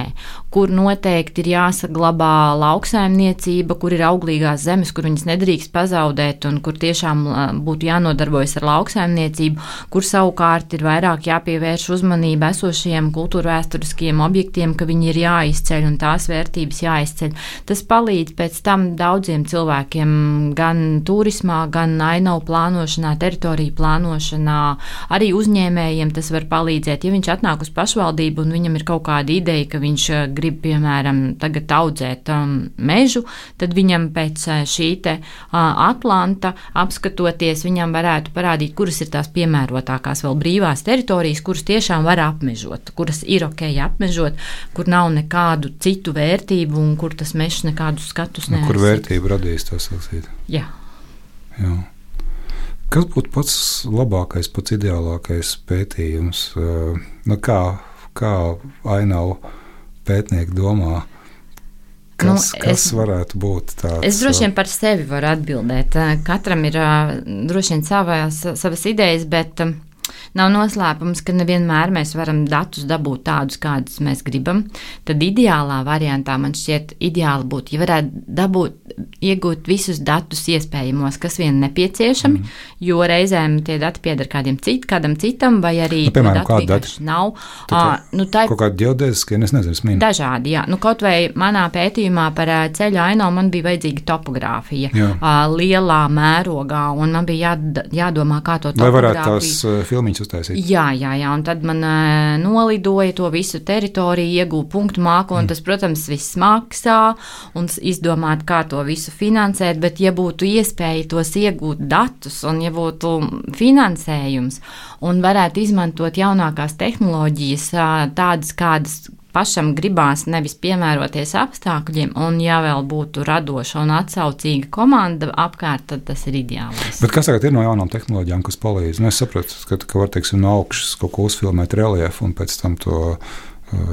kur noteikti ir jāsaglabā lauksaimniecība, kur ir auglīgās zemes, kur viņas nedrīkst pazaudēt un kur tiešām būtu jānodarbojas ar lauksaimniecību, kur savukārt ir vairāk jāpievērš uzmanība esošajiem kultūrvēsturiskiem objektiem, ka viņi ir jāizceļ un tās vērtības jāizceļ. Tas palīdz pēc tam daudziem cilvēkiem gan turismā, gan ainavu plānošanā, teritoriju plānošanā, arī uzņēmējiem tas var palīdzēt. Ja viņš atnāk uz pašvaldību un viņam ir kaut kāda ideja, ka viņš grib, piemēram, tagad audzēt um, mežu, tad viņam pēc šī te uh, Atlanta apskatoties, viņam varētu parādīt, kuras ir tās piemērotākās vēl brīvās teritorijas, kuras tiešām var apmežot, kuras ir ok apmežot, kur nav nekādu citu vērtību un kur tas mežs nekādus skatus neaizsaka. Kur vērtību radīs tas sacīt? Jā. Jā. Kas būtu pats labākais, pats ideālākais pētījums? Uh, nu kā Kā ainavu pētnieki domā, kas, nu, es, kas varētu būt tāds? Es droši vien par sevi varu atbildēt. Katram ir droši vien savas, savas idejas, bet nav noslēpums, ka nevienmēr mēs varam datus dabūt tādus, kādus mēs gribam. Tad ideālā variantā man šķiet ideāli būtu, ja varētu dabūt, iegūt visus datus iespējamos, kas vien nepieciešami, mm. jo reizēm tie dati pieder kādiem cit, kādam citam, vai arī nu, piemēram, kādi dati nav. Tā, uh, nu, tā, kaut kādi ģeodēziskie, es nezinu, smīni. Dažādi, jā. Nu, kaut vai manā pētījumā par ceļu ainavu man bija vajadzīga topogrāfija uh, lielā mērogā, un man bija jā, jādomā, kā to topogrāfiju. Lai varētu tās uh, filmiņas uztaisīt. Jā, jā, jā, un tad man uh, nolidoja to visu teritoriju, iegūja punktu māku, un mm. tas, protams, viss maksā, un izdomāt, kā to visu finansēt, bet ja būtu iespēja tos iegūt datus, un ja būtu finansējums, un varētu izmantot jaunākās tehnoloģijas, tādas, kādas pašam gribās nevis piemēroties apstākļiem, un ja vēl būtu radoša un atsaucīga komanda apkārt, tad tas ir ideālais. Bet kas tagad ir no jaunām tehnoloģijām, kas palīdz? Nu, es saprotu, ka, ka var, teiksim, no augšas kaut ko uzfilmēt reliefu un pēc tam to uh,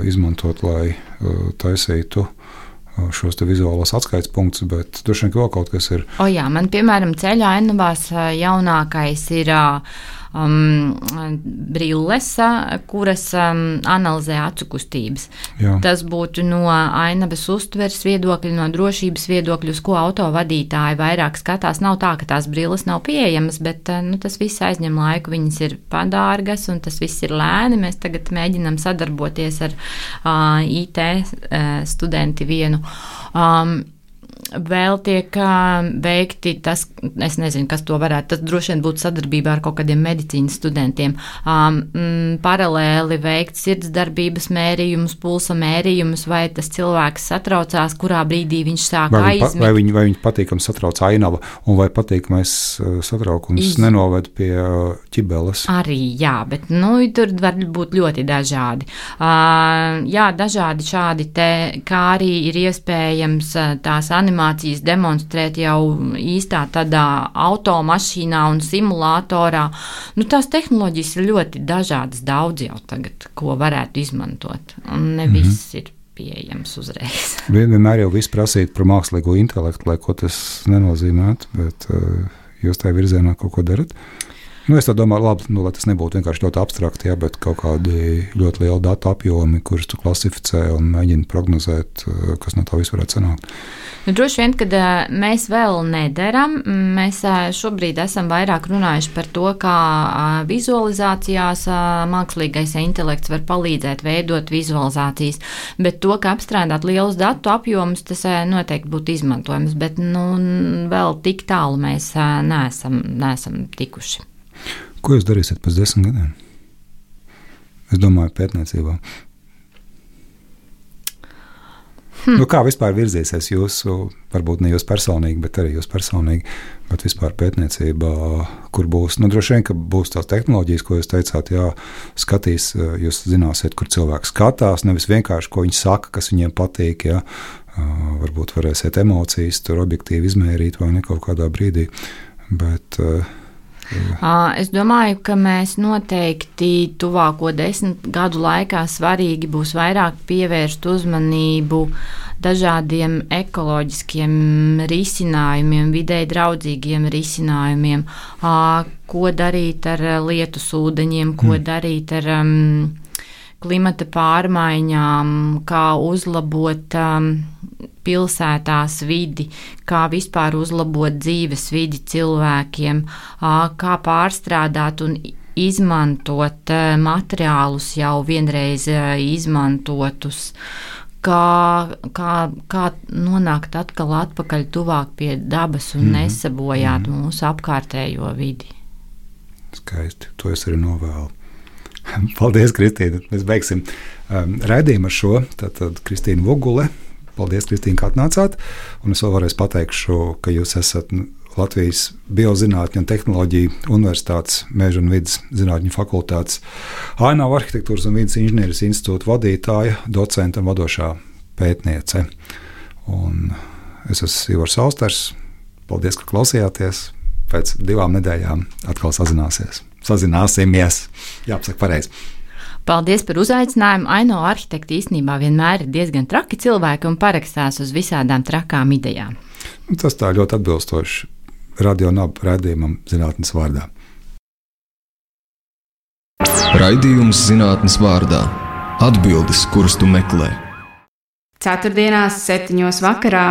izmantot, lai uh, taisītu šos te vizuālos atskaites punktus, bet droši vien vēl kaut kas ir. O jā, man, piemēram, ceļā ainavās jaunākais ir um, brilles, kuras um, analizē acu kustības. Jā. Tas būtu no ainavas uztveres viedokļa, no drošības viedokļa, uz ko autovadītāji vairāk skatās. Nav tā, ka tās brilles nav pieejamas, bet nu, tas viss aizņem laiku, viņas ir padārgas un tas viss ir lēni. Mēs tagad mēģinām sadarboties ar uh, I T uh, studenti vienu. Um, vēl tiek uh, veikti tas, es nezinu, kas to varētu, tas droši vien būtu sadarbībā ar kaut kādiem medicīnas studentiem, um, mm, paralēli veikt sirdsdarbības mērījumus, pulsa mērījumus, vai tas cilvēks satraucās, kurā brīdī viņš sāk vai aizmigt. Vai viņi, vai viņi patīkam satrauc ainava, un vai patīkamais satraukums Iz... nenoved pie ķibeles? Arī, jā, bet nu, tur var būt ļoti dažādi. Uh, jā, dažādi šādi te, kā arī ir iespējams tās animācijas demonstrēt jau īstā tādā automašīnā un simulatorā. Nu, tās tehnoloģijas ir ļoti dažādas, daudz jau tagad, ko varētu izmantot. Un ne mm-hmm. viss ir pieejams uzreiz. Vienmēr jau viss prasīt par mākslīgo intelektu, lai ko tas nenozīmētu, bet uh, jūs tajā virzienā kaut ko darat? Nu, es tā domāju, labi, nu, lai tas nebūtu vienkārši ļoti abstrakti, jā, bet kaut kādi ļoti lieli datu apjomi, kurus tu klasificē un mēģini prognozēt, kas no tā viss varētu sanākt. Nu, droši vien, kad uh, mēs vēl nedaram, mēs uh, šobrīd esam vairāk runājuši par to, kā uh, vizualizācijās uh, mākslīgais intelekts var palīdzēt veidot vizualizācijas, bet to, ka apstrādāt lielus datu apjomus, tas uh, noteikti būtu izmantojams, bet nu, vēl tik tālu mēs uh, neesam, neesam tikuši. Ko jūs darīsiet pēc desmit gadiem? Es domāju, pētniecībā. Hmm. Nu, kā vispār virzīsies jūsu, varbūt ne jūs personīgi, bet arī jūs personīgi, bet vispār pētniecībā, kur būs, nu, droši vien, ka būs tās tehnoloģijas, ko jūs teicāt, jā, skatīs, jūs zināsiet, kur cilvēks skatās, nevis vienkārši, ko viņi saka, kas viņiem patīk, jā, varbūt varēsiet emocijas tur objektīvi izmērīt vai ne kaut kādā brīdī, bet... Es domāju, ka mēs noteikti tuvāko desmit gadu laikā svarīgi būs vairāk pievērst uzmanību dažādiem ekoloģiskiem risinājumiem, videi draudzīgiem risinājumiem, ko darīt ar lietus ūdeņiem, ko mm. darīt ar um, klimata pārmaiņām, kā uzlabot um, pilsētās vidi, kā vispār uzlabot dzīves vidi cilvēkiem, kā pārstrādāt un izmantot materiālus jau vienreiz izmantotus, kā, kā, kā nonākt atkal atpakaļ tuvāk pie dabas un mm. nesabojāt mm. mūsu apkārtējo vidi. Skaisti, to es arī novēlu. Paldies, Kristīna. Mēs beigsim um, raidījumu ar šo. Tātad Kristīna Vugule. Paldies, Kristīna, kā atnācāt. Un es vēl varēs pateikšu, ka jūs esat Latvijas Biozinātņu un tehnoloģiju universitātes Meža un vidas zinātņu fakultātes Ainavu arhitektūras un vidas inženierijas institūta vadītāja, docenta un vadošā pētniece. Un es esmu Ivars Austers. Paldies, ka klausījāties. Pēc divām nedēļām atkal sazināsies. Sazināsimies. Jāpasaka pareizi. Paldies par uzaicinājumu. Ainavu arhitekti īstenībā vienmēr ir diezgan traki cilvēki un parakstās uz visādām trakām idejām. Tas tā ļoti atbilstoši Radio Naba raidījumam Zinātnes vārdā. Raidījums Zinātnes vārdā. Atbildes, kuras tu meklē. Ceturtdienās septiņos vakarā